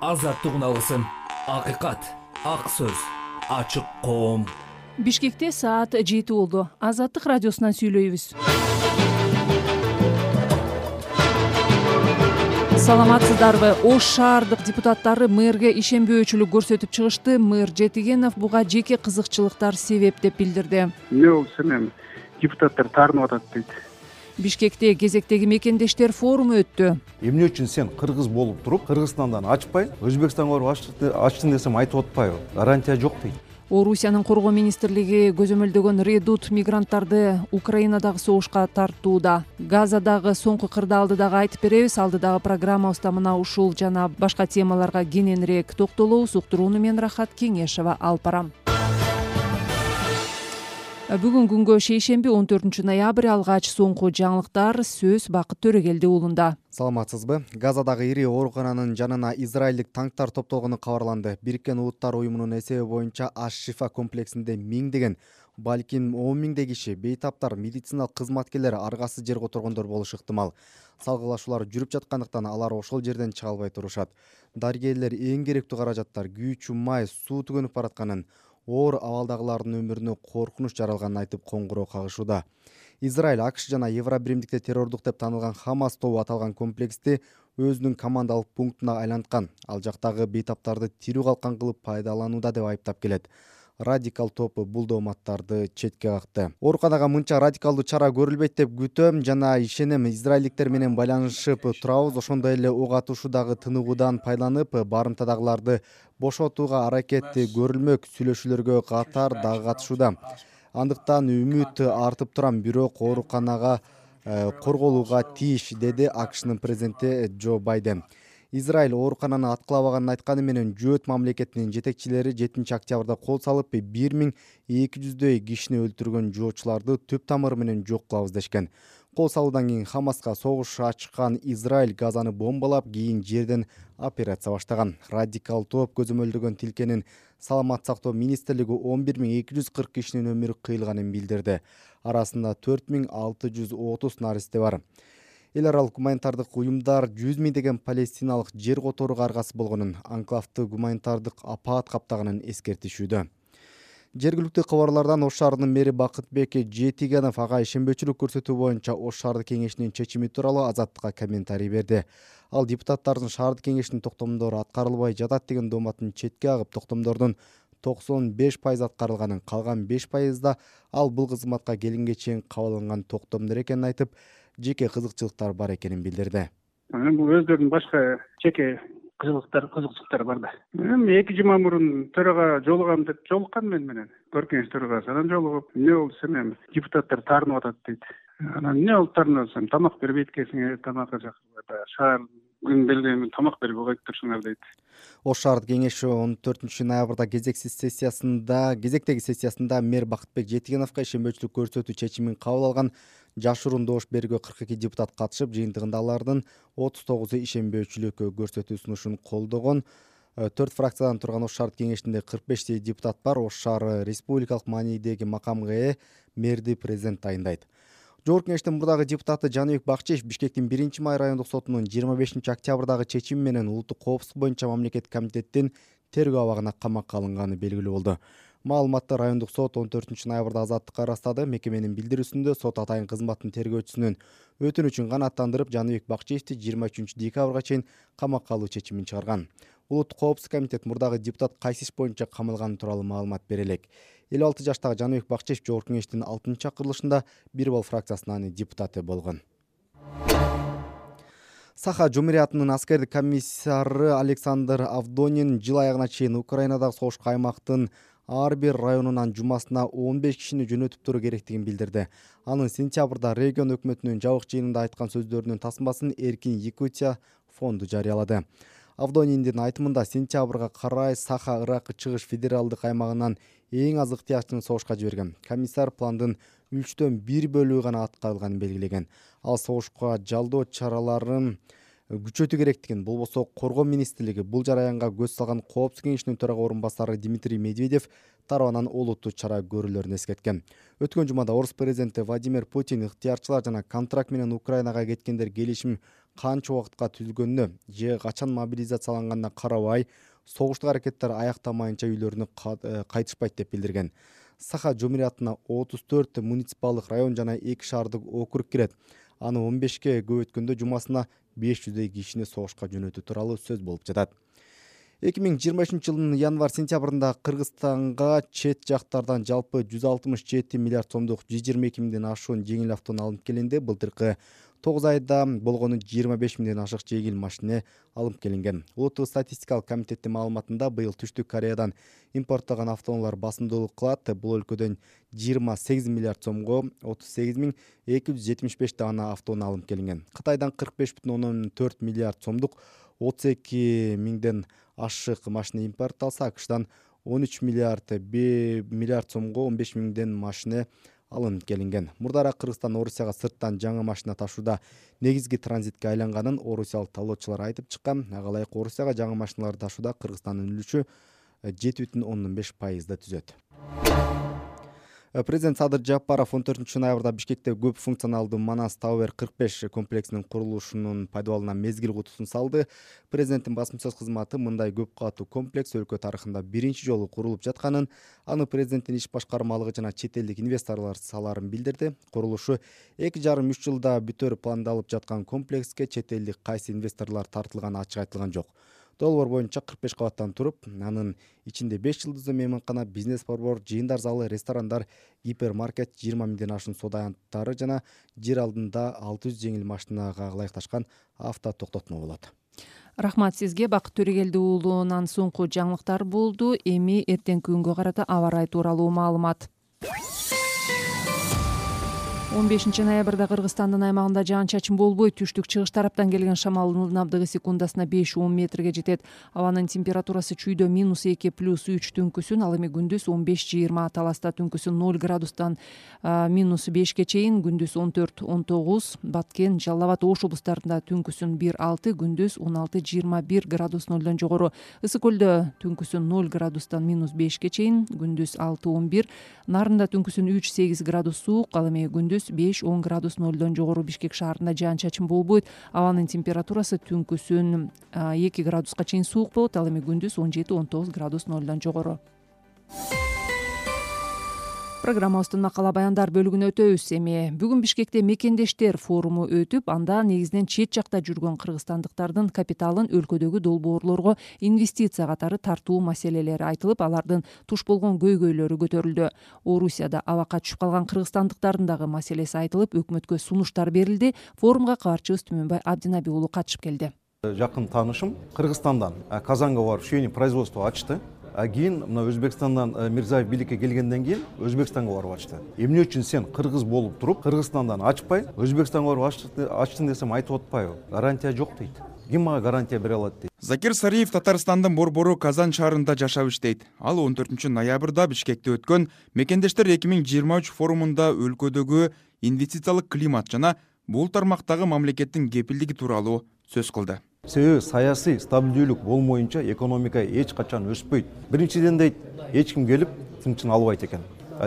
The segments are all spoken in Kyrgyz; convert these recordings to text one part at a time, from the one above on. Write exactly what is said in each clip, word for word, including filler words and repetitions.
азаттык үналысын, акыйкат, ак сөз, ачык коом. Бишкекте саат жети болду. Азаттык радиосунан сүйлөйбүз. Саламатсыздарбы? Ош шаардык депутаттары мэрге ишенбөөчүлүк көрсөтүп чыгышты. Мэр Жетигенов буга жеке кызыкчылыктар себеп деп билдирди. Эмне болсо эми депутаттар таарынып атат дейт. Бишкекте кезектеги мекендештер форуму өттү. Эмне үчүн сен кыргыз болуп туруп, Кыргызстандан ачпай, Өзбекстанга барып ачтын десем айтып атпайбы? Гарантия жок дейт. Орусиянын коргоо министрлиги көзөмөлдөгөн редут мигранттарды Украинадагы согушка тартууда. Газадагы соңку кырдаалды дагы айтып беребиз. Алдыдагы программабызда мына ушул жана башка темаларга кененирээк токтолобуз. Уктурууну мен Рахат Кеңешева алып барам. Бүгүн күнгө шейшемби он төртүнчү ноябрь алгач соңку жаңылыктар. Сөз Бакыт Төрөгелди уулунда. Саламатсызбы? Газадагы ири оорукананын жанына израилдик танктар топтолгону кабарланды. Бириккен Улуттар уюмунун эсеби боюнча Аш-Шифа комплексинде миңдеген, балким он миңдей киши, бейтаптар, медициналык кызматкерлер, аргасыз жерге отургондор болушу ыктымал. Салгылашуулар жүрүп жаткандыктан алар ошол жерден чыга албай турушат. Дарыгерлер эң керектүү каражаттар, күйүүчү май, суу түгөнүп баратканын, оор абалдагылардын өмүрүнө коркунуч жаралганын айтып коңгуроо кагышууда. Израиль, АКШ жана Евробиримдикте террордук деп таанылган Хамас тобу аталган комплексти өзүнүн командалык пунктуна айланткан. Ал жактагы бейтаптарды тирүү калкан кылып пайдаланууда деп айыптап келет. Радикал топ бул дооматтарды четке какты. Ооруканага мынча радикалдуу чара көрүлбөйт деп күтөм жана ишенем. Израилдиктер менен байланышып турабыз. Ошондой эле ок атышуудагы тыныгуудан пайдаланып, барымтадагыларды бошотууга аракет көрүлмөк. Сүйлөшүүлөргө катар дагы катышууда. Андыктан үмүт артып турам, бирок ооруканага корголууга тийиш, деди АКШнын президенти Джо Байден. Израиль оорукананы аткылабаганын айтканы менен Жөөт мамлекетинин жетекчилери жетинчи октябрда кол салып, бир миң эки жүздөй кишини өлтүргөн жоочуларды түп тамыры менен жок кылабыз дешкен. Кол салуудан кийин Хамаска согуш ачкан Израиль Газаны бомбалап, кийин жерден операция баштаган. Радикал топ көзөмөлдөгөн тилкенин Саламат сактоо министрлиги он бир миң эки жүз кырк кишинин өмүрү кыйылганын билдирди. Арасында төрт миң алты жүз отуз наристе бар. Эл аралык гуманитардык уюмдар жүз миңдеген палестиналык жер которууга аргасыз болгонун, анклавды гуманитардык апаат каптаганын эскертишүүдө. Жергиликтүү кабарлардан Ош шаарынын мэри Бакытбек Жетигенов ага ишенбөөчүлүк көрсөтүү боюнча Ош шаардык кеңешинин чечими тууралуу Азаттыкка комментарий берди. Ал депутаттардын шаардык кеңештин токтомдору аткарылбай жатат деген дооматын четке кагып, токтомдордун токсон беш пайыз аткарылганын, калган беш пайызда ал бул кызматка келинге чейин кабыл алынган токтомдор экенин айтып, жеке кызыкчылыктар бар экенин билдирди. Бул өздөрүнүн башка жеке кызыктар, кызыкчылыктары бар да. Эми эки жума мурун төрага жолугам деп жолуккан мен менен. Көркөңүз төрагасы анан жолугуп, эмне болду десем, эми депутаттар таарынып атат дейт. Анан эмне болуп таарынып атсам, тамак бербейт экенсиңер, тамакка чакырбайт, шаар күн белгилеген тамак берип койуп турушуңар дейт. Ош шаардык кеңеши он төртүнчү ноябрда кезексиз сессиясында, кезектеги сессиясында мэр Бакытбек Жетигеновго ишенбөөчүлүк көрсөтүү чечимин кабыл алган. Жашыруун добуш бергөө кырк эки депутат катышып, жыйынтыгында алардын отуз тогузу ишенбөөчүлүк көрсөтүү сунушун колдогон. төрт фракциядан турган Ош шаардык кеңешинде кырк бештей депутат бар. Ош шаары республикалык маанидеги макамга ээ мэрди президент тайындайт. Жогорку кеңештин мурдагы депутаты Жаныбек Бакчиев Бишкектин биринчи май райондук сотунун жыйырма бешинчи октябрдагы чечими менен улуттук коопсуздук боюнча мамлекеттик комитеттин тергөө абагына камакка алынганы белгилүү болду. Маалыматты райондук сот он төртүнчү ноябрда Азаттыкка ырастады. Мекеменин билдирүүсүндө сот атайын кызматтын тергөөчүсүнүн өтүнүчүн канааттандырып, Жаныбек Бакчиевди жыйырма үчүнчү декабрга чейин камакка алуу чечимин чыгарган. Улуттук коопсуздук комитет мурдагы депутат кайсы иш боюнча камалганы тууралуу маалымат бере элек. элүү алты жаштагы Жаныбек Бакчиев жогорку кеңештин алтынчы чакырылышында бир бал фракциясынын депутаты болгон. Саха Жумуриятынын аскердик комиссары Александр Авдонин жыл аягына чейин Украинадагы согушка аймактын ар бир районунан жумасына он беш кишини жөнөтүп туруу керектигин билдирди. Анын сентябрда регион өкмөтүнүн жабык жыйынында айткан сөздөрүнүн тасмасын Эркин Якутия фонду жарыялады. Авдониндин айтымында сентябрга карай Саха Ыракы чыгыш федералдык аймагынан эң аз ыктыярчыны согушка жиберген. Комиссар пландын үчтөн бир бөлүгү гана аткарылганын белгилеген. Ал согушка жалдоо чараларын күчөтүү керектигин, болбосо Коргоо министрлиги бул жараянга көз салган Коопсуздук кеңешинин төрага орун басары Дмитрий Медведев тарабынан олуттуу чара көрүүлөрүн эскерткен. Өткөн жумада Орус президенти Владимир Путин ыктыярчылар жана контракт менен Украинага кеткендер келишим канча убакытка түзүлгөнүнө же качан мобилизацияланганына карабай, согуштук аракеттер аяктамайынча үйлөрүнө кайтышпайт деп билдирген. Саха жумуриятына отуз төрт муниципалдык район жана эки шаардык округ кирет. Аны он бешке көбөйткөндө жумасына беш жүздөй кишини согушка жөнөтүү тууралуу сөз болуп жатат. эки миң жыйырма үчүнчү жылдын январь-сентябрында Кыргызстанга чет жактардан жалпы жүз алтымыш жети миллиард сомдук жүз жыйырма эки миңден ашуун жеңил автоунаа алынып келинди. Былтыркы тогуз айда болгону жыйырма беш миңден ашык жеңил машина алынып келинген. Улуттук статистикалык комитеттин маалыматында быйыл Түштүк Кореядан импорттогон автоунаалар басымдуулук кылат. Бул өлкөдөн жыйырма сегиз миллиард сомго отуз сегиз миң эки жүз жетимиш беш даана автоунаа алынып келинген. Кытайдан кырк беш бүтүн ондон төрт миллиард сомдук отуз эки миңден ашык машина импортталса, АКШдан он үч миллиард миллиард сомго он беш миңден машина алынып келинген. Мурдара Кыргызстан Орусияга сырттан жаңы машина ташууда негизги транзитке айланганын орусиялык талоочулар айтып чыккан. Ага ылайык Орусияга жаңы машиналарды ташууда Кыргызстандын үлүшү жети бүтүн ондон беш пайызды түзөт. Президент Садыр Жапаров он төртүнчү ноябрда Бишкекте көп функционалдуу Манас Тауэр кырк беш комплексинин курулушунун пайдаланууна мезгил кутусун салды. Президенттин басма сөз кызматы мындай көп катуу комплекс өлкө тарыхында биринчи жолу курулуп жатканын, аны президенттин иш башкармалыгы жана чет элдик инвесторлор саларын билдирди. Курулушу эки жарым үч жылда бүтөр пландалып жаткан комплекске чет элдик кайсы инвесторлор тартылганы ачык айтылган жок. Долбоор боюнча кырк беш кабаттан туруп, анын ичинде беш жылдыздуу мейманкана, бизнес-борбор, жыйындар залы, ресторандар, гипермаркет, жыйырма миңден ашуун соода аянттары жана жер алдында алты жүз жеңил машинага ылайыкташкан авто токтотмо болот. Рахмат сизге, Бакыт Төрегелди уулунан соңку жаңылыктар болду. Эми эртеңки күнгө карата аба ырайы тууралуу маалымат. он бешинчи ноябрда Кыргызстандын аймагында жаан-чачын болбойт. Түштүк-чыгыш тараптан келген шамалдын ылдамдыгы секундасына беш он метрге жетет. Абанын температурасы чүйдө минус эки плюс үч түнкүсүн, ал эми күндүз он беш жыйырма, таласта түнкүсүн ноль градустан минус бешке чейин, күндүз он төрт он тогуз, Баткен, Жалал Абад, Ош облустарында түнкүсүн бир алты, күндүз он алты жыйырма бир градус нолдон жогору. Ысык көлдө түнкүсүн ноль градустан минус бешке чейин, күндүз алты он бир, Нарында түнкүсүн үч сегиз градус суук, ал эми күндүз беш он градус нолдон жогору. Бишкек шаарында жаан-чачын болбойт. Абанын температурасы түнкүсүн эки градуска чейин суук болот, ал эми күндүз он жети он тогуз градус нолдон жогору. Программабыздын макала баяндар бөлүгүнө өтөбүз. Эми бүгүн Бишкекте мекендештер форуму өтүп, анда негизинен чет жакта жүргөн кыргызстандыктардын капиталын өлкөдөгү долбоорлорго инвестиция катары тартуу маселелери айтылып, алардын туш болгон көйгөйлөрү көтөрүлдү. Орусияда абакка түшүп калган кыргызстандыктардын дагы маселеси айтылып, өкмөткө сунуштар берилди. Форумга кабарчыбыз Түмөнбай Абдинаби уулу катышып келди. Жакын таанышым Кыргызстандан Казанга барып швейный производство ачты. А кийин мына Өзбекстандан Мирзаев бийликке келгенден кийин Өзбекстанга барып ачты. Эмне үчүн сен кыргыз болуп туруп, Кыргызстандан ачпай, Өзбекстанга барып ачтың десем айтып атпайбы? Гарантия жок дейт. Ким мага гарантия бере алат дейт. Закир Сариев Татарстандын борбору Казан шаарында жашап иштейт. Ал он төртүнчү ноябрда Бишкекте өткөн Мекендештер эки миң жыйырма үч форумунда өлкөдөгү инвестициялык климат жана бул тармактагы мамлекеттин кепилдиги тууралуу сөз кылды. Себеби саясий стабилдүүлүк болмоюнча экономика эч качан өспөйт. Биринчиден дейт, эч ким келип тынчын албайт экен.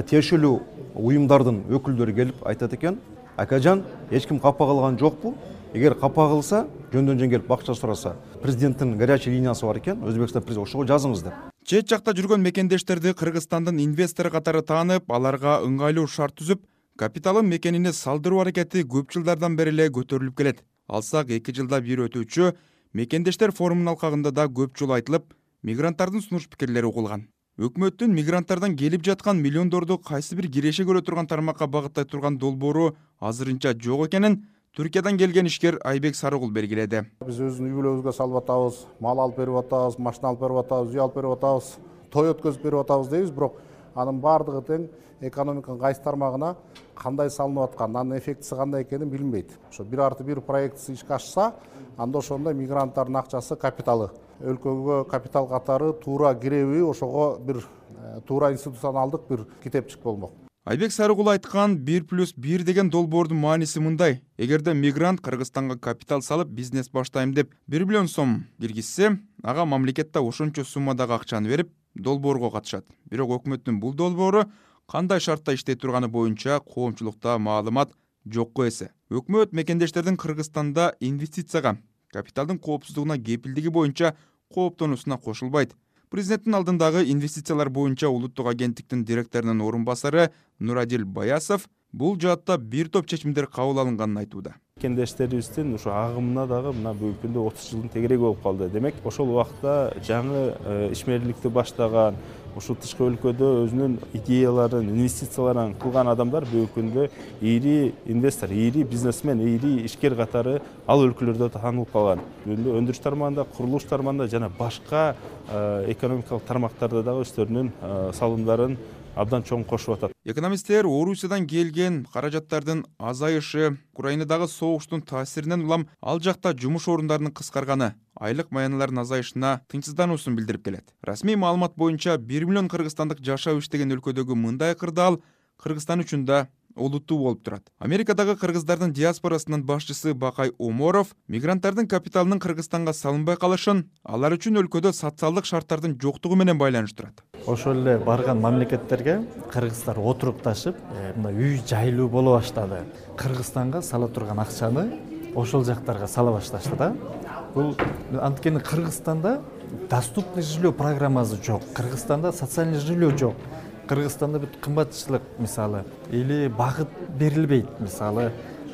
Тиешелүү уюмдардын өкүлдөрү келип айтат экен, акажан эч ким капа кылган жокпу? Эгер капа кылса, жөндөн жөн келип акча сураса, президенттин горячий линиясы бар экен, Өзбекстан президенти ошого жазыңыз деп. Чет жакта жүргөн мекендештерди Кыргызстандын инвестору катары таанып, аларга ыңгайлуу шарт түзүп, капиталын мекенине салдыруу аракети көп жылдардан бери эле көтөрүлүп келет. Алсак эки жылда бир өтүүчү Мекендештер форумунун алкагында да көп жолу айтылып, мигранттардын сунуш пикирлери угулган. Өкмөттүн мигранттардан келип жаткан миллиондорду кайсы бир киреше көрө турган тармакка багыттай турган долбоору азырынча жок экенин Түркиядан келген ишкер Айбек Сарыгул белгиледи. Биз өзүнүн үй бүлөбүзгө салып атабыз, мал алып берип атабыз, машина алып берип атабыз, үй алып берип атабыз, той өткөзүп берип атабыз дейбиз, бирок анын баардыгы тең экономиканын кайсы тармагына кандай салынып аткан, анын эффектиси кандай экенин билинбейт. Ошо бир арты бир проектisi ишке ашса, анда ошондо мигранттардын акчасы, капиталы өлкөгө капитал катары туура киреби, ошого бир туура институционалдык бир китепчик болмок. Айбек Сарыгул айткан бир плюс бир деген долбоордун мааниси мындай. Эгерде мигрант Кыргызстанга капитал салып бизнес баштайм деп бир миллион сом киргизсе, ага мамлекетте ошончо суммадагы акчаны берип, долбоорго катышат. Бирок өкмөттүн бул долбоору кандай шартта иштей турганы боюнча коомчулукта маалымат жокко эсе. Өкмөт мекендештердин Кыргызстанда инвестицияга, капиталдын коопсуздугуна кепилдиги боюнча кооптонуусуна кошулбайт. Президенттин алдындагы инвестициялар боюнча улуттук агенттиктин директорунун орун басары Нурадил Баясов бул жаатта бир топ чечимдер кабыл алынганын айтууда. Мекендештерибиздин ушу агымына дагы мына бүгүнкү күндө отуз жылдын тегереги болуп калды. Демек, ошол убакта жаңы ишмерликти баштаган, ушу тышкы өлкөдө өзүнүн идеяларын, инвестицияларын кылган адамдар бүгүнкү күндө ири инвестор, ири бизнесмен, ири ишкер катары ал өлкөлөрдө таанылып калган. Бүгүндө өндүрүш тармагында, курулуш тармагында жана башка экономикалык тармактарда дагы өздөрүнүн салымдарын абдан чоң кошуп атат. Экономисттер Орусиядан келген каражаттардын азайышы, Украинадагы согуштун таасиринен улам ал жакта жумуш орундарынын кыскарганы, айлык маяналардын азайышына тынчсыздануусун билдирип келет. Расмий маалымат боюнча бир миллион кыргызстандык жашап иштеген өлкөдөгү мындай кырдаал Кыргызстан үчүн да олуттуу болуп турат. Америкадагы кыргыздардын диаспорасынын башчысы Бакай Оморов мигранттардын капиталынын Кыргызстанга салынбай калышын алар үчүн өлкөдө социалдык шарттардын жоктугу менен байланыштырат. Ошол эле барган мамлекеттерге кыргыздар отурукташып, мына үй жайлуу боло баштады. Кыргызстанга сала турган акчаны ошол жактарга сала башташты да. Бул анткени Кыргызстанда доступный жилье программасы жок. Кыргызстанда социальный жилье жок. Кыргызстанда бүт кымбатчылык мисалы или багыт берилбейт мисалы.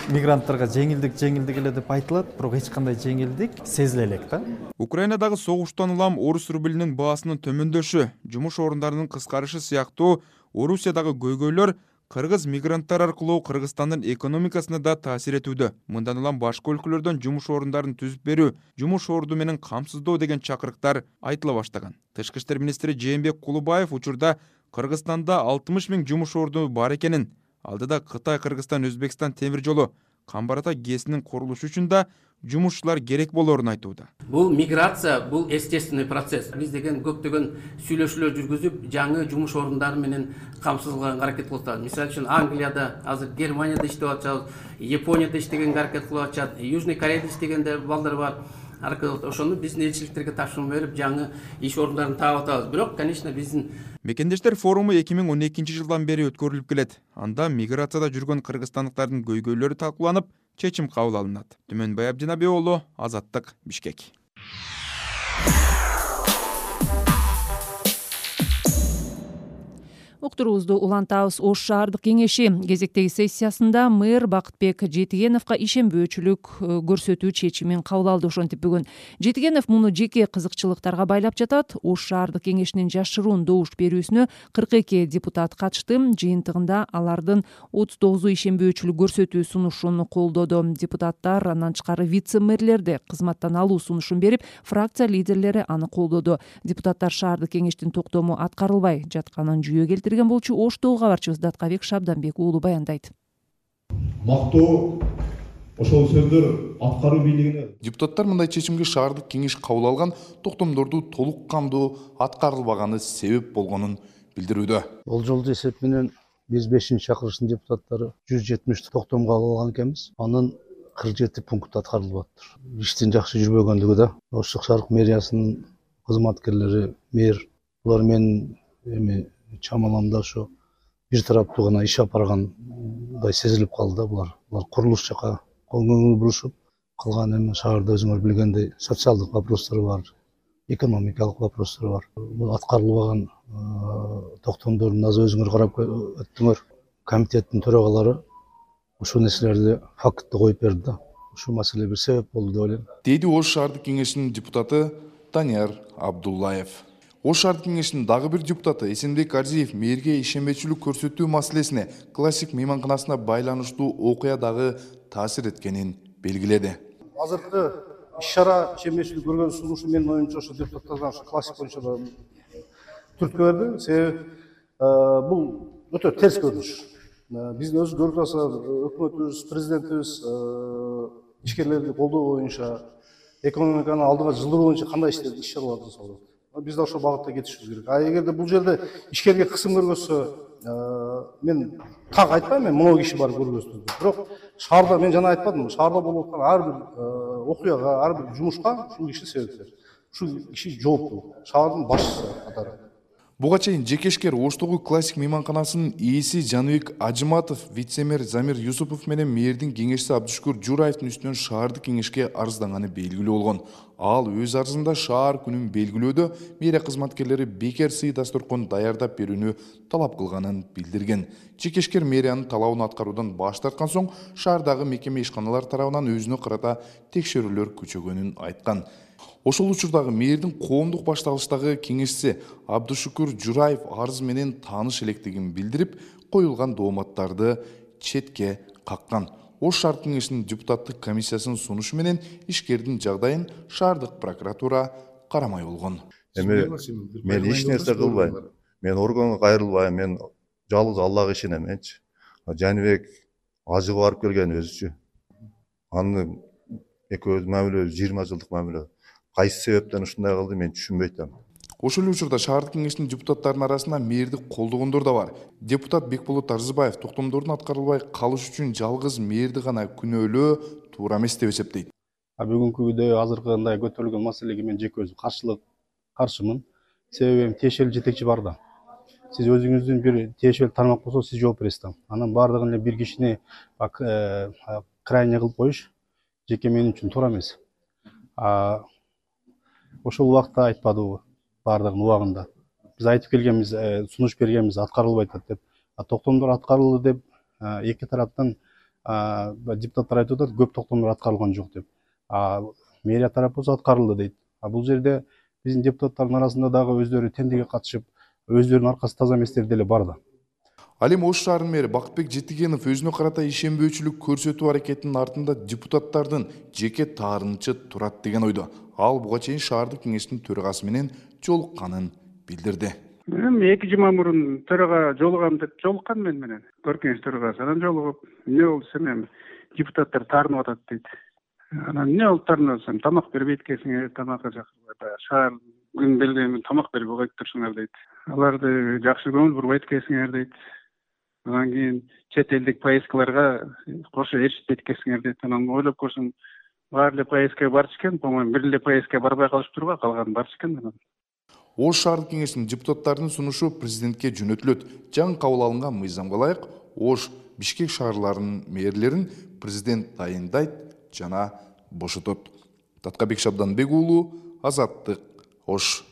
Мигранттарга жеңилдик жеңилдик эле деп айтылат, бирок эч кандай жеңилдик сезиле элек да. Украинадагы согуштан улам орус рублинин баасынын төмөндөшү, жумуш орундарынын кыскарышы сыяктуу Орусиядагы көйгөйлөр кыргыз мигранттар аркылуу Кыргызстандын экономикасына да таасир этүүдө. Мындан улам башка өлкөлөрдөн жумуш орундарын түзүп берүү, жумуш орду менен камсыздоо деген чакырыктар айтыла баштаган. Тышкы иштер министри Жээнбек Кулубаев учурда Кыргызстанда алтымыш миң жумуш орду бар экенин, алдыда Кытай, Кыргызстан, Өзбекстан темир жолу Камбар-Ата ГЭСинин курулушу үчүн да жумушчулар керек болоорун айтууда. Бул миграция, бул естественный процесс. Биз деген көптөгөн сүйлөшүүлөр жүргүзүп, жаңы жумуш орундары менен камсыздалганга аракет кылып атабыз. Мисалы үчүн Англияда, азыр Германияда иштеп атабыз, Японияда иштегенге аракет кылып атышат, Южный Кореяда иштегенде балдар бар. Ошону биздин элчиликтерге тапшырма берип, жаңы иш орундарын таап атабыз. Бирок, конечно, биздин Мекендештер форуму эки миң он экинчи жылдан бери өткөрүлүп келет. Анда миграцияда жүргөн кыргызстандыктардын көйгөйлөрү талкууланып, чечим кабыл алынат. Түмөнбай Абдинабий уулу, Азаттык, Бишкек. Уктуруубузду улантабыз. Ош шаардык кеңеши кезектеги сессиясында мэр Бакытбек Жетигеновго ишенбөөчүлүк көрсөтүү чечимин кабыл алды. Ошентип бүгүн Жетигенов муну жеке кызыкчылыктарга байлап жатат. Ош шаардык кеңешинин жашыруун добуш берүүсүнө кырк эки депутат катышты. Жыйынтыгында алардын отуз тогузу ишенбөөчүлүк көрсөтүү сунушун колдоду. Депутаттар андан тышкары вице-мэрлерди кызматтан алуу сунушун берип, фракция лидерлери аны колдоду. Депутаттар шаардык кеңештин токтому аткарылбай жатканын жүйө келтирди. болчу Оштогу кабарчыбыз Даткабек Шабданбек уулу баяндайт. Мактоо ошол сөздөр аткаруу бийлигине. Депутаттар мындай чечимге шаардык кеңеш кабыл алган токтомдорду толук кандуу аткарылбаганы себеп болгонун билдирүүдө. Бул жолду эсеп менен биз бешинчи чакырыштын депутаттары жүз жетимиш токтом кабыл алган экенбиз. Анын кырк жети пункт аткарылып атат. Иштин жакшы жүрбөгөндүгү да. Ош шаардык мэриясынын кызматкерлери, мэр булар менен эми чамаламда ошо бир тараптуу гана иш алып баргандай сезилип калды да. Булар булар курулуш жака көңүл бурушуп калган. Эми шаарда өзүңөр билгендей социалдык вопростор бар, экономикалык вопростор бар. Бул аткарылбаган токтомдордун азы өзүңөр карап өттүңөр. Комитеттин төрагалары ушул нерселерди фактты коюп берди да. Ушул маселе бир себеп болду деп ойлойм. Деди Ош шаардык кеңешинин депутаты Данияр Абдуллаев. Ош шаардык кеңешинин дагы бир депутаты Эсенбек Арзиев мэрге ишенбечүлүк көрсөтүү маселесине классик мейманканасына байланыштуу окуя дагы таасир эткенин белгиледи. Азыркы иш-чара ишенбечүлүк көргөн сунушу менин оюмча ошо депутаттардан ошо классик боюнча түрткө берди. Себеби бул өтө терс көрүнүш. Биздин өз көрүп атабыз, өкмөтүбүз, президентибиз ишкерлерди колдоо боюнча, экономиканы алдыга жылдыруу боюнча кандай иш чараларды жасап атат. биз да ошол багытта кетишибиз керек. А эгерде бул жерде ишкерге кысым көргөзсө, мен так айтпайм, мен мынау киши барып көргөздү. Бирок шаарда мен жана айтпадымбы, шаарда болуп аткан ар бир окуяга, ар бир жумушка ушул киши себепкер. Ушул киши жооптуу, шаардын башчысы катары. Буга чейин жекешкер Оштогу классик мейманканасынын ээси Жаныбек Ажыматов, вице-мэр Замир Юсупов менен мэрдин кеңешчиси Абдушкур Жураевдин үстүнөн шаардык кеңешке арызданганы белгилүү болгон. Ал өз арызында шаар күнүн белгилөөдө мэрия кызматкерлери бекер сый дасторкон даярдап берүүнү талап кылганын билдирген. Жекешкер мэриянын талабын аткаруудан баш тарткан соң шаардагы мекеме ишканалар тарабынан өзүнө карата текшерүүлөр күчөгөнүн айткан. Ошол учурдагы мэрдин коомдук башталыштагы кеңешчиси Абдушкур Жураев арыз менен тааныш электигин билдирип, коюлган дооматтарды четке каккан. Ош шаардык кеңешинин депутаттык комиссиясынын сунушу менен ишкердин жагдайын шаардык прокуратура карамай болгон. Эми мен эч нерсе кылбайм. Мен органга кайрылбайм. Мен жалгыз Аллага ишенем менчи. Жаныбек ажыгып барып келген өзүчү. Аны экөөбүз мамилебиз жыйырма жылдык мамиле. Кайсы себептен ушундай кылды мен түшүнбөй атам. Ошол учурда шаардык кеңештин депутаттарынын арасында мэрди колдогондор да бар. Депутат Бекболот Арзыбаев токтомдордун аткарылбай калышы үчүн жалгыз мэрди гана күнөөлөө туура эмес деп эсептейт. Бүгүнкү күндө азыркындай көтөрүлгөн маселеге мен жеке өзүм каршылык каршымын. Себеби тиешелүү жетекчи бар да. Сиз өзүңүздүн бир тиешелүү тармак болсо сиз жооп бересиз да. Анан бардыгын эле бир кишини крайне кылып коюш жеке мен үчүн туура эмес. Ошол убакта айтпадыбы бардыгын убагында. Биз айтып келгенбиз, сунуш бергенбиз, аткарылбай атат деп. Токтомдор аткарылды деп эки тараптан депутаттар айтып атат, көп токтомдор аткарылган жок деп. Мэрия тарапы болсо аткарылды дейт. А бул жерде биздин депутаттардын арасында дагы өздөрү тендерге катышып, өздөрүнүн аркасы таза эместер деле бар да. Ал эми Ош шаарынын мэри Бакытбек Жетигенов өзүнө карата ишенбөөчүлүк көрсөтүү аракетинин артында депутаттардын жеке таарынычы турат деген ойдо. Ал буга чейин шаардык кеңештин төрагасы менен жолукканын билдирди. Эми эки жума мурун төрага жолугам деп жолуккан мен менен. Көркөңүз төрагасы анан жолугуп, эмне болду десем, эми депутаттар таарынып атат дейт. Анан эмне болуп таарынып атсам, тамак бербейт экенсиңер, тамакка чакырбайт. Шаар күн белгилеген тамак бербей койуп турушуңар дейт. Аларды жакшы көңүл бурбайт экенсиңер дейт. Анан кийин чет элдик поездкаларга кошо эришпейт экенсиңер дейт. Анан ойлоп көрсөм, баары эле поездкага барчу экен, по-моему, бир эле поездкага барбай калышыптырбы, калганы барчу экен анан. Ош шаардык кеңешинин депутаттарынын сунушу президентке жөнөтүлөт. Жаңы кабыл алынган мыйзамга ылайык Ош, Бишкек шаарларынын мэрлерин президент тайындайт жана бошотот. Таткабек Шабданбек уулу, Азаттык, Ош.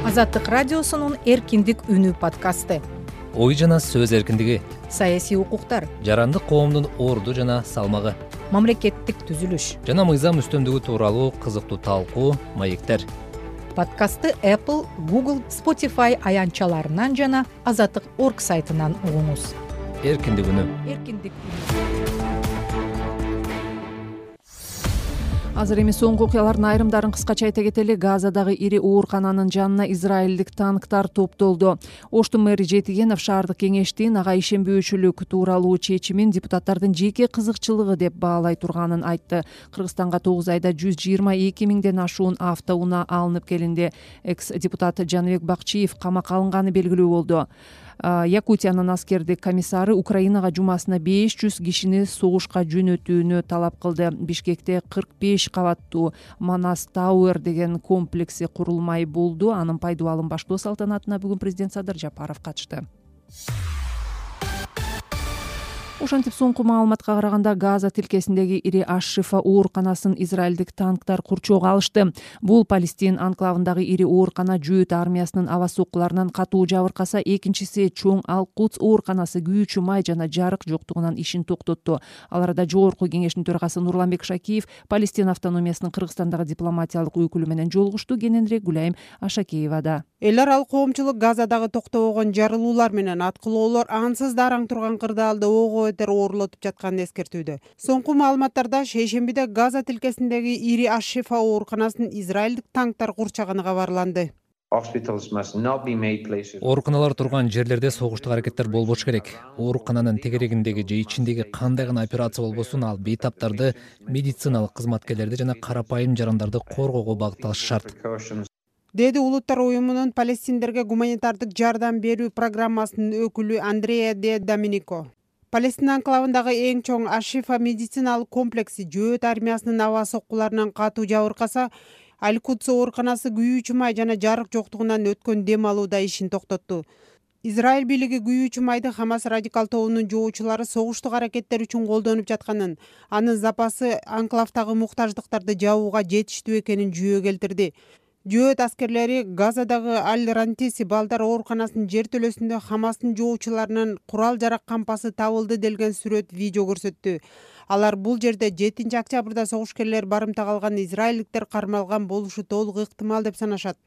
Азаттык радиосунун Эркиндик үнү подкасты. Ой жана сөз эркиндиги, саясий укуктар, жарандык коомдун орду жана салмагы, мамлекеттик түзүлүш жана мыйзам үстөмдүгү тууралуу кызыктуу талкуу, маектер. Подкастты Apple, Google, Spotify аянтчаларынан жана азаттык точка орг сайтынан угуңуз. Эркиндик үнү. Эркиндик үнү. Азыр эми соңку окуялардын айрымдарын кыскача айта кетели. Газадагы ири оорукананын жанына израилдик танктар топтолду. Оштун мэри Жетигенов шаардык кеңештин ага ишенбөөчүлүк тууралуу чечимин депутаттардын жеке кызыкчылыгы деп баалай турганын айтты. Кыргызстанга тогуз айда жүз жыйырма эки миңден ашуун автоунаа алынып келинди. Экс-депутат Жаныбек Бакчиев камакка алынганы белгилүү болду. Якутиянын аскердик комиссары Украинага жумасына беш жүз кишини согушка жөнөтүүнү талап кылды. Бишкекте кырк беш кабаттуу Манас Тауэр деген комплекси курулмай болду. Анын пайдубалын баштоо салтанатына бүгүн президент Садыр Жапаров катышты. Ошентип соңку маалыматка караганда Газа тилкесиндеги ири Аш-Шифа ооруканасын израилдик танктар курчоого алышты. Бул Палестин анклавындагы ири оорукана Жүйөт армиясынын аба соккуларынан катуу жабыркаса, экинчиси чоң Ал-Кудс ооруканасы күйүүчү май жана жарык жоктугунан ишин токтотту. Ал арада жогорку кеңештин төрагасы Нурланбек Шакиев Палестин автономиясынын Кыргызстандагы дипломатиялык өкүлү менен жолугушту. Кененирээк Гүлайым Ашакеевада. Эл аралык коомчулук Газадагы токтобогон жарылуулар менен аткылоолор ансыз дараң турган кырдаалды ого бетер оорлотуп жатканын эскертүүдө. Соңку маалыматтарда шейшембиде Газа тилкесиндеги ири Аш-Шифа ооруканасын израилдик танктар курчаганы кабарланды. ооруканалар турган жерлерде согуштук аракеттер болбош керек. Оорукананын тегерегиндеги же ичиндеги кандай гана операция болбосун, ал бейтаптарды, медициналык кызматкерлерди жана карапайым жарандарды коргоого багытталышы шарт, деди Улуттар уюмунун палестиндерге гуманитардык жардам берүү программасынын өкүлү Андреа де Доминико. Палестина анклавындагы эң чоң Аш-Шифа медициналык комплекси жөөт армиясынын аба соккуларынан катуу жабыркаса, Аль-Кудс ооруканасы күйүүчү май жана жарык жоктугунан өткөн дем алууда ишин токтотту. Израиль бийлиги күйүүчү майды Хамас радикал тобунун жоочулары согуштук аракеттер үчүн колдонуп жатканын, анын запасы анклавдагы муктаждыктарды жабууга жетиштүү экенин жүйө келтирди. Жөөт аскерлери Газадагы Аль-Рантиси балдар ооруканасынын жертөлөсүндө Хамастын жоочуларынын курал-жарак кампасы табылды делген сүрөт видео көрсөттү. Алар бул жерде жетинчи октябрда согушкерлер барымтага алган израилдиктер кармалган болушу толук ыктымал деп санашат.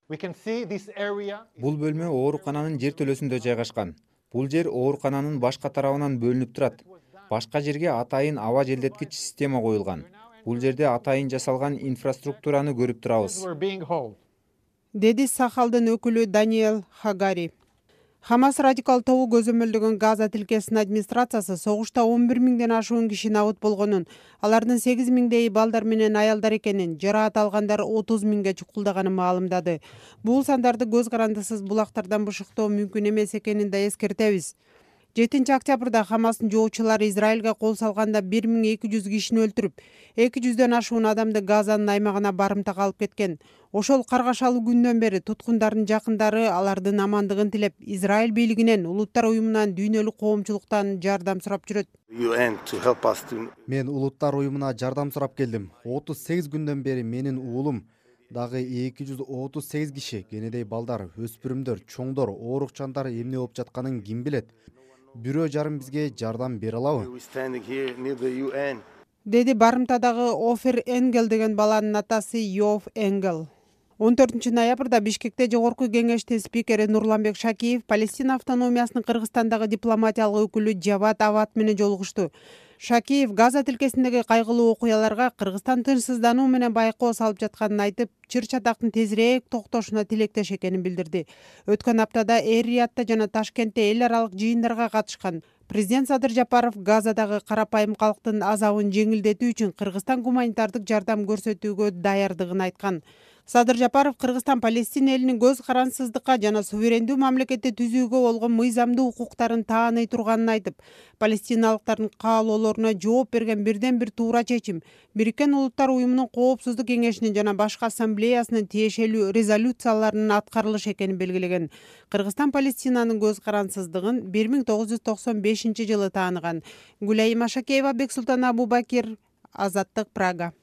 Бул бөлмө оорукананын жертөлөсүндө жайгашкан. Бул жер оорукананын башка тарабынан бөлүнүп турат. Башка жерге атайын аба желдеткич система коюлган. Бул жерде атайын жасалган инфраструктураны көрүп турабыз, деди Сахалдын өкүлү Даниэл Хагари. Хамас радикал тобу көзөмөлдөгөн Газа тилкесинин администрациясы согушта он бир миңден ашуун киши набыт болгонун, алардын сегиз миңдейи балдар менен аялдар экенин, жараат алгандар отуз миңге чукулдаганын маалымдады. Бул сандарды көз карандысыз булактардан бышыктоо мүмкүн эмес экенин да эскертебиз. жетинчи октябрда Хамастын жоочулары Израилге кол салганда бир миң эки жүз кишини өлтүрүп, эки жүздөн ашуун адамды Газанын аймагына барымтага алып кеткен. Ошол каргашалуу күндөн бери туткундардын жакындары алардын амандыгын тилеп, Израиль бийлигинен, Улуттар уюмунан, дүйнөлүк коомчулуктан жардам сурап жүрөт. Мен Улуттар уюмуна жардам сурап келдим. отуз сегиз күндөн бери менин уулум, дагы эки жүз отуз сегиз киши, кенедей балдар, өспүрүмдөр, чоңдор, оорукчандар эмне болуп жатканын ким билет? Бирөө жарым бизге жардам бере алабы? Деди барымтадагы Офер Энгел деген баланын атасы Йов Энгел. он төртүнчү ноябрда Бишкекте жогорку кеңештин спикери Нурланбек Шакиев Палестина автономиясынын Кыргызстандагы дипломатиялык өкүлү Жават Ават менен жолугушту. Шакиев Газа тилкесиндеги кайгылуу окуяларга Кыргызстан тынчсыздануу менен байкоо салып жатканын айтып, чыр-чатактын тезирээк токтошуна тилектеш экенин билдирди. Өткөн аптада Эр-Риядта жана Ташкентте эл аралык жыйындарга катышкан. Президент Садыр Жапаров Газадагы карапайым калктын азабын жеңилдетүү үчүн Кыргызстан гуманитардык жардам көрсөтүүгө даярдыгын айткан. Садыр Жапаров Кыргызстан Палестина элинин көз карансыздыкка жана суверендүү мамлекетти түзүүгө болгон мыйзамдуу укуктарын тааный турганын айтып, палестиналыктардын каалоолоруна жооп берген бирден бир туура чечим Бириккен Улуттар уюмунун Коопсуздук кеңешинин жана башка ассамблеясынын тиешелүү резолюцияларынын аткарылышы экенин белгилеген. Кыргызстан Палестинанын көз карансыздыгын бир миң тогуз жүз токсон бешинчи жылы тааныган. Гүлайым Ашакеева, Бексултан Абубакир, Азаттык, Прага.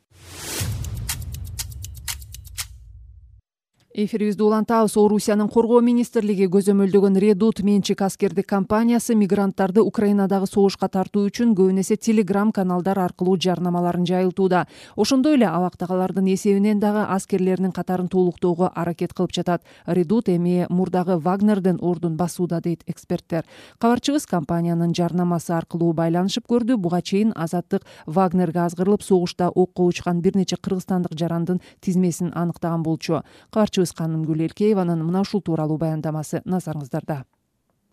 Эфирибизди улантабыз. Орусиянын коргоо министрлиги көзөмөлдөгөн Редут менчик аскердик компаниясы мигранттарды Украинадагы согушка тартуу үчүн көбүн эсе Telegram каналдар аркылуу жарнамаларын жайылтууда. Ошондой эле абактагалардын эсебинен дагы аскерлеринин катарын толуктоого аракет кылып жатат. Редут эми мурдагы Вагнердин ордун басууда, дейт эксперттер. Кабарчыбыз компаниянын жарнамасы аркылуу байланышып көрдү. Буга чейин Азаттык Вагнерге азгырылып согушта окко учкан бир нече кыргызстандык жарандын тизмесин аныктаган болчу. Кабарчы Канымгүл Элкееванын мына ушул тууралуу баяндамасы назарыңыздарда.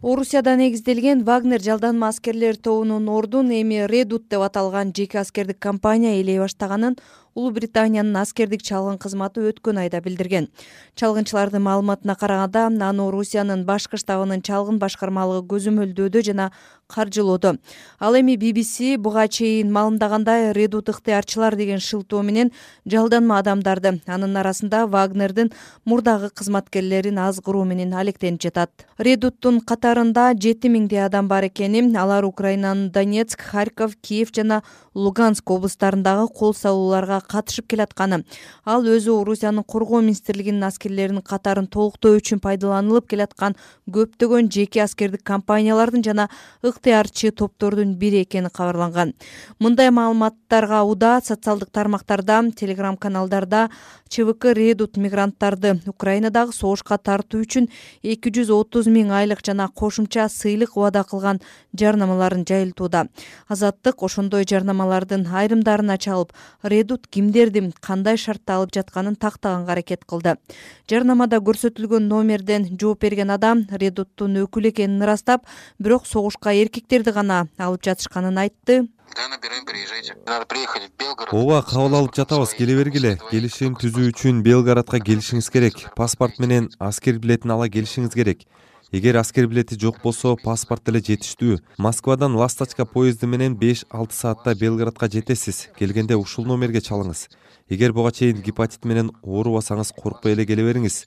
Орусияда негизделген Вагнер жалданма аскерлер тобунун ордун эми Редут деп аталган жеке аскердик компания ээлей баштаганын Улуу Британиянын аскердик чалгын кызматы өткөн айда билдирген. Чалгынчылардын маалыматына караганда, аны Орусиянын башкы штабынын чалгын башкармалыгы көзөмөлдөөдө жана каржылоодо. Ал эми би би си буга чейин маалымдагандай, Редут ыктыярчылар деген шылтоо менен жалданма адамдарды, анын арасында Вагнердин мурдагы кызматкерлерин азгыруу менен алектенип жатат. Редуттун катарында жети миңдей адам бар экени, алар Украинанын Донецк, Харьков, Киев жана Луганск облустарындагы кол салууларга катышып келатканы. Ал өзү Орусиянын коргоо министрлигинин аскерлеринин катарын толуктоо үчүн пайдаланылып келаткан көптөгөн жеке аскердик компаниялардын жана ыктыярчы топтордун бири экени кабарланган. Мындай маалыматтарга уда социалдык тармактарда, Telegram каналдарда ЧВК Редут мигранттарды Украинадагы согушка тартуу үчүн эки жүз отуз миң айлык жана кошумча сыйлык убада кылган жарнамаларын жайылтууда. Азаттык ошондой жарнамалардын айрымдарына чалып, Редут кимдерди кандай шартта алып жатканын тактаганга аракет кылды. Жарнамада көрсөтүлгөн номерден жооп берген адам Редуттун өкүлү экенин ырастап, бирок согушка эркектерди гана алып жатышканын айтты. Ооба, кабыл алып жатабыз, келе бергиле. Келишим түзүү үчүн Белградка келишиңиз керек. Паспорт менен аскер билетин ала келишиңиз керек. Эгер аскер билети жок болсо, паспорт деле жетиштүү. Москвадан Ласточка поезди менен беш алты саатта Белградка жетесиз. Келгенде ушул номерге чалыңыз. Эгер буга чейин гепатит менен оорубасаңыз, коркпой эле келе бериңиз.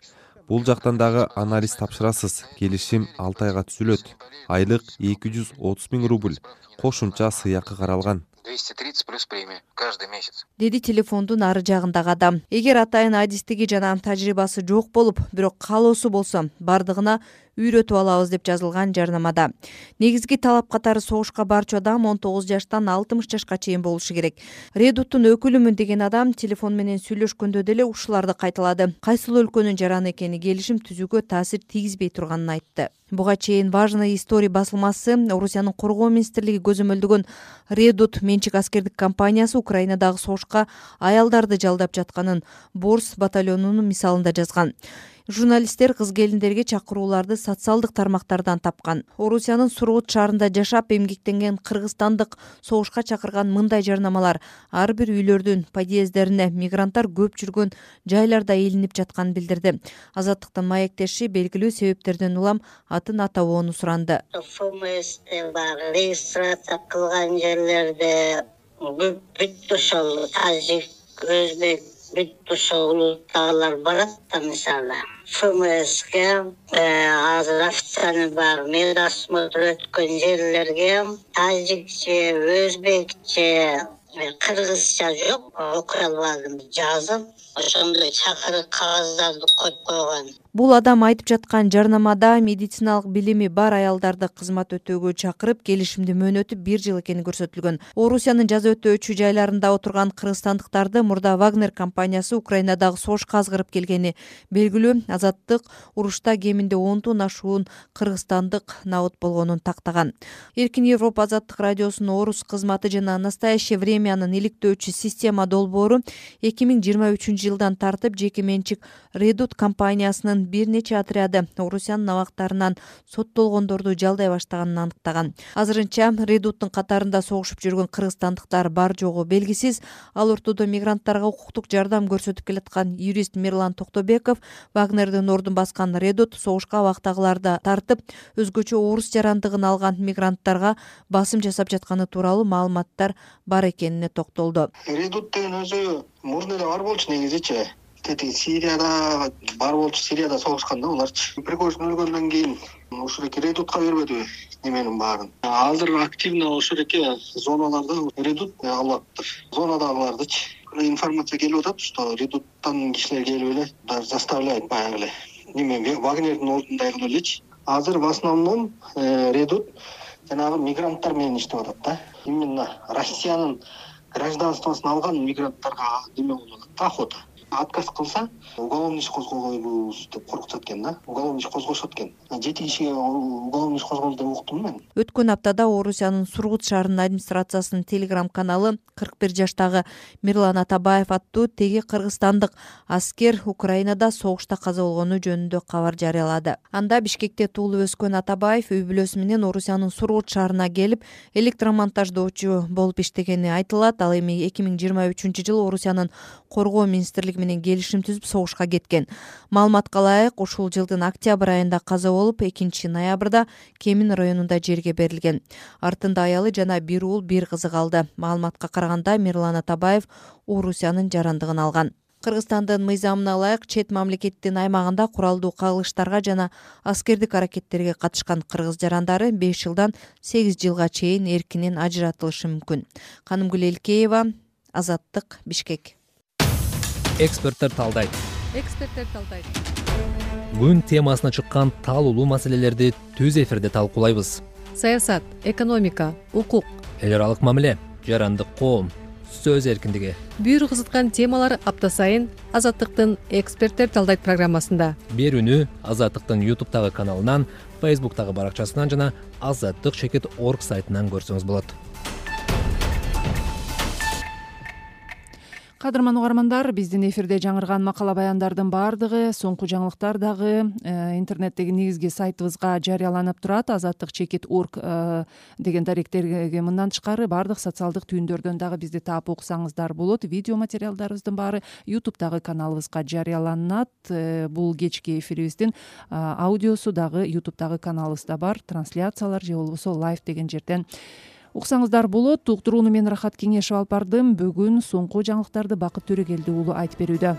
Бул жактан дагы анализ тапшырасыз. Келишим алты айга түзүлөт. Айлык эки жүз отуз миң рубль. Кошумча сыйакы каралган. двести тридцать плюс премия каждый месяц. Деди телефондун ары жагындагы адам. Эгер атайын адистиги жана тажрыйбасы жок болуп, бирок каалоосу болсо, бардыгына үйрөтүп алабыз деп жазылган жарнамада. Негизги талап катары согушка барчу адам он тогуз жаштан алтымыш жашка чейин болушу керек. Редуттун өкүлүмүн деген адам телефон менен сүйлөшкөндө деле ушуларды кайталады. Кайсыл өлкөнүн жараны экени келишим түзүүгө таасир тийгизбей турганын айтты. Буга чейин Важная история басылмасы Орусиянын коргоо министрлиги көзөмөлдөгөн Редут менчик аскердик компаниясы Украинадагы согушка аялдарды жалдап жатканын Борс батальонунун мисалында жазган. Журналисттер кыз келиндерге чакырууларды социалдык тармактардан тапкан. Орусиянын Сургут шаарында жашап эмгектенген кыргызстандык согушка чакырган мындай жарнамалар ар бир үйлөрдүн подъезддерине мигранттар көп жүргөн жайларда илинип жатканын билдирди. Азаттыктын маектеши белгилүү себептерден улам атын атабоону суранды. ФМСте бар, регистрация кылган жерлерде бүт ошол тажик, өзбек, бүт ошол улуттагылар барат да, мисалы. ФМСке азыр официальный бар, медосмотр өткөн жерлерге тажикче, өзбекче, кыргызча жок, окуй албадым, жазып, ошондой чакырык кагаздарды коюп койгон. Бул адам айтып жаткан жарнамада медициналык билими бар аялдарды кызмат өтөөгө чакырып, келишимдин мөөнөтү бир жыл экени көрсөтүлгөн. Орусиянын жаза өтөөчү жайларында отурган кыргызстандыктарды мурда Вагнер компаниясы Украинадагы согушка азгырып келгени белгилүү. Азаттык урушта кеминде ондон ашуун кыргызстандык набыт болгонун тактаган. Эркин Европа азаттык радиосунун орус кызматы жана Настоящее времянын иликтөөчү система долбоору эки миң жыйырма үчүнчү жылдан тартып жеке менчик Редут компаниясынын бир нече отряды Орусиянын абактарынан соттолгондорду жалдай баштаганын аныктаган. Азырынча Редуттун катарында согушуп жүргөн кыргызстандыктар бар жогу белгисиз. Ал ортодо мигранттарга укуктук жардам көрсөтүп келаткан юрист Мирлан Токтобеков Вагнердин ордун баскан Редут согушка абактагыларды тартып, өзгөчө орус жарандыгын алган мигранттарга басым жасап жатканы тууралуу маалыматтар бар экенине токтолду. Редут деген өзү мурда эле бар болчу негизичи. Тети Сирияда бар болчу, Сирияда согушканда буларчы. Пригожин өлгөндөн кийин ушуреки Редутка бербедиби неменин баарын. Азыр активно ушуреки зоналарда Редут алаттыр. Зонадагылардычы информация келип атат, что Редуттан кишилер келип эле даже заставляет баягы эле. Неме Вагнердин ордундагы элечи. Азыр в основном Редут жанагы мигранттар менен иштеп атат да. Именно Россиянын гражданствосын алган мигранттарга неме болуп атат да, охота. Отказ кылса, уголовный иш козгойбуз деп коркутат экен да. Уголовный иш козгошот экен. Жети кишиге уголовный иш козголду деп уктум мен. Өткөн аптада Орусиянын Сургут шаарынын администрациясынын телеграм каналы кырк бир жаштагы Мирлан Атабаев аттуу теги кыргызстандык аскер Украинада согушта каза болгону жөнүндө кабар жарыялады. Анда Бишкекте туулуп өскөн Атабаев үй бүлөсү менен Орусиянын Сургут шаарына келип, электромонтаждоочу болуп иштегени айтылат. Ал эми эки миң жыйырма үчүнчү жылы Орусиянын коргоо министрлиги менен келишим түзүп согушка кеткен. Маалыматка ылайык, ушул жылдын октябрь айында каза болуп, экинчи ноябрда Кемин районунда жерге берилген. Артында аялы жана бир уул, бир кызы калды. Маалыматка караганда Мирлан Атабаев Орусиянын жарандыгын алган. Кыргызстандын мыйзамына ылайык чет мамлекеттин аймагында куралдуу кагылыштарга жана аскердик аракеттерге катышкан кыргыз жарандары беш жылдан сегиз жылга чейин эркинен ажыратылышы мүмкүн. Канымгүл Элкеева, Азаттык, Бишкек. Эксперттер талдайт. Эксперттер талдайт. Күн темасына чыккан талуулуу маселелерди түз эфирде талкуулайбыз. Саясат, экономика, укук, эл аралык мамиле, жарандык коом, сөз эркиндиги. Бүйүр кызыткан темалар апта сайын Азаттыктын Эксперттер талдайт программасында. Берүүнү Азаттыктын ютубтагы каналынан, фейсбуктагы баракчасынан жана азаттык чекит орг сайтынан көрсөңүз болот. Кадырман угармандар, биздин эфирде жаңырган макала баяндардын баардыгы, соңку жаңылыктар дагы интернеттеги негизги сайтыбызга жарыяланып турат. азаттык чекит орг деген даректерге мындан тышкары баардык социалдык түйүндөрдөн дагы бизди таап окусаңыздар болот. Видео материалдарыбыздын баары ютубтагы каналыбызга жарыяланат. Бул кечки эфирибиздин аудиосу дагы ютубтагы каналыбызда бар. Трансляциялар же болбосо лайв деген жерден уксаңыздар болот. Уктурууну мен Рахат Кеңешев алып бардым. Бүгүн соңку жаңылыктарды Бакыт Төрөгелди уулу айтып берүүдө.